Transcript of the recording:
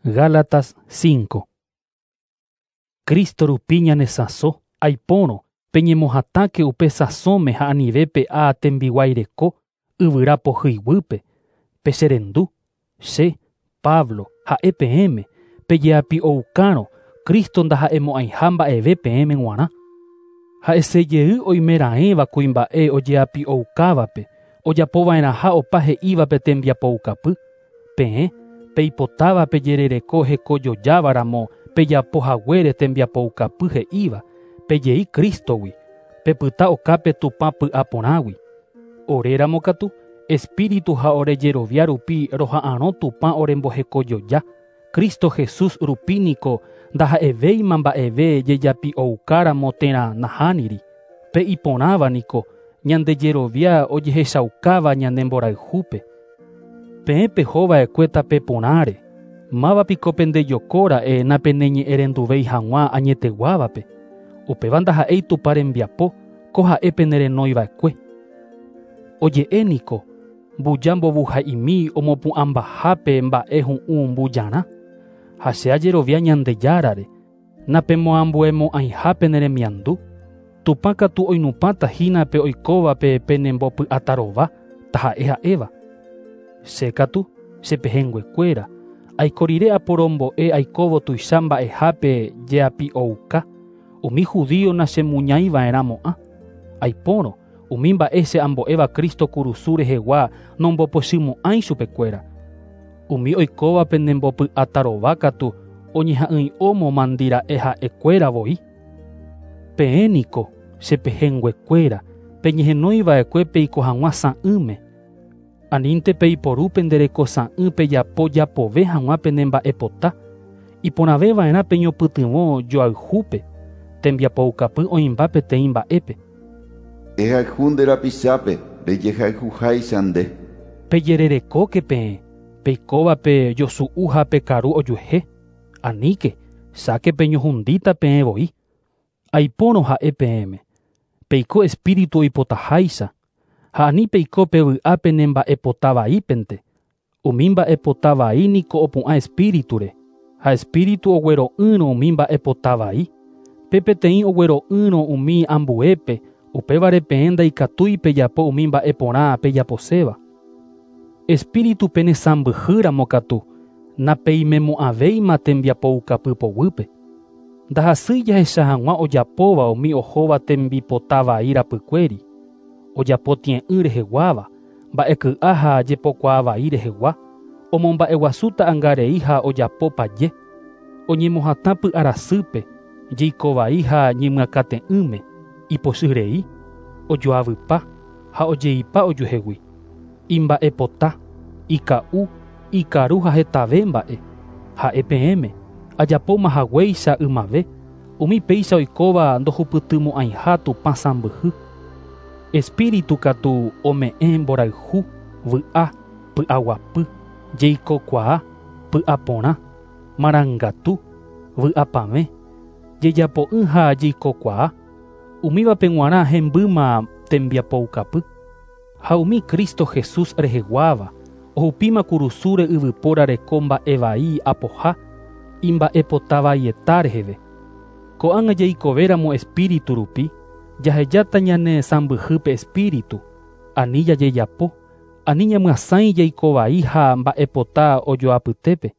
Gálatas 5. Cristo rupi ñanesãso, aipórõ, peñemohatãke upe sãsõme ha anive pe'a tembiguaireko yvyra pohýiguýpe, pecherendu, che, Pablo, ha'e peẽme, pejeapi'oukárõ Cristo ndaha'emo'ãiha mba'eve peẽme g̃uarã. Ha'esejey oimeraẽva kuimba'e ojeapi'oukávape, ojapova'erãha opa he'ívape tembiapoukapy, peẽ, peipotáva pejerereko hekojojávaramo pejapohaguére tembiapoukapy he'íva, pejei Cristogui, pepyta okápe Tupã py'aporãgui. Oréramo katu, Espíritu ha orejerovia rupi roha'arõ Tupã orembohekojoja, Cristo Jesús rupi niko ndaha'evéima mba'eve jejapi'oukáramo térã nahániri. Pe iporãva niko ñandejerovia ojehechaukáva ñane mborayhúpe. Peẽ pehova'ekue tape porãre, mávapiko pendejokóra'e napeneñe'ẽrenduvéi hag̃ua añeteguávape. Upéva ndaha'éi Tupã rembiapo, ko ha'e penerenoiva'ekue. Oje'e niko, mbuja mbovuha'imi omopu'ãmbahápe mba'e hu'ũ mbujarã. Ha che ajerovia Ñandejárare, napemoambuemo'ãiha peneremiandu. Tupã katu oinupãta hína pe oikóvape penembopy'atarova, taha'e ha'éva. Che katu, chepehẽnguekuéra, aiko rire aporombo'e aikóvo tuicha mba'ehápe jeapi'ouka, umi judío nachemuñaiva'erãmo'ã. Aipórõ, umi mba'e che ambo'éva Cristo kurusu rehegua nombopochymo'ãi chupekuéra. Umi oikóva penembopy'atarova katu oñeha'ỹi'ómo mandira'e ha'ekuéra voi. Peẽ niko, chepehẽnguekuéra, peñehenoiva'ekue peiko hag̃ua sã'ỹme. Anínte peiporu penderekosã'ỹ pejapo japove hag̃ua pene mba'epota. Iporãveva'erã peñopytyvõ joayhúpe, tembiapoukapy oĩmba peteĩ mba'épe. Ehayhu nde rapichápe rejehayhuháicha nde. Pejererekóke peẽ, peikóvape josu'u ha pekaru ojuehe. Aníke, cháke peñohundíta peẽ voi. Aipórõ ha'e peẽme, peiko espíritu oipotaháicha, ha ani peiko pevy'a pene mba'epota vaípente. Umi mba'epota vai niko opu'ã espíriture, ha espíritu oguero'ỹrõ umi mba'epota vai. Pe peteĩ oguero'ỹrõ umi ambuépe, upévare peẽ ndaikatúi pejapo umi mba'e porã pejaposéva. Espíritu penesãmbyhýramo katu, napeimemo'ãvéima tembiapoukapy poguýpe. Ndahasýi jahecha hag̃ua ojapóva umi ohóva tembipota vai rapykuéri, ojapo tie'ỹ reheguáva, mba'eky'a ha jepokuaa vai rehegua, omomba'eguasu ta'ãngarei ha ojapo paje, oñemohatã py'arasýpe, jeiko vai ha ñemyakate'ỹme, ipochyrei, ojoavypa ha ojeipa ojuehegui. Imba'epota, ika'u, ikaru ha hetave mba'e. Ha'e peẽme, ajapóma haguéicha ymave, umi péicha oikóva ndohupytymo'ãiha Tupã sãmbyhy. Espíritu katu ome'ẽ mborayhu, vy'a, py'aguapy, jeikokuaa, py'aporã, marangatu, vy'apavẽ, jejapo'ỹ ha jeikokuaa, umívape g̃uarã hembýma tembiapoukapy. Ha umi Cristo Jesús reheguáva, ohupíma kurusúre yvypóra reko mba'e vai apoha, imba'epota vaieta reheve. Ko'ág̃a jaikovéramo espíritu rupi, jahejáta ñane sãmbyhýpe espíritu, ani jajejapo, ani ñamyasãi jaiko vai ha mba'epota ojoapytépe.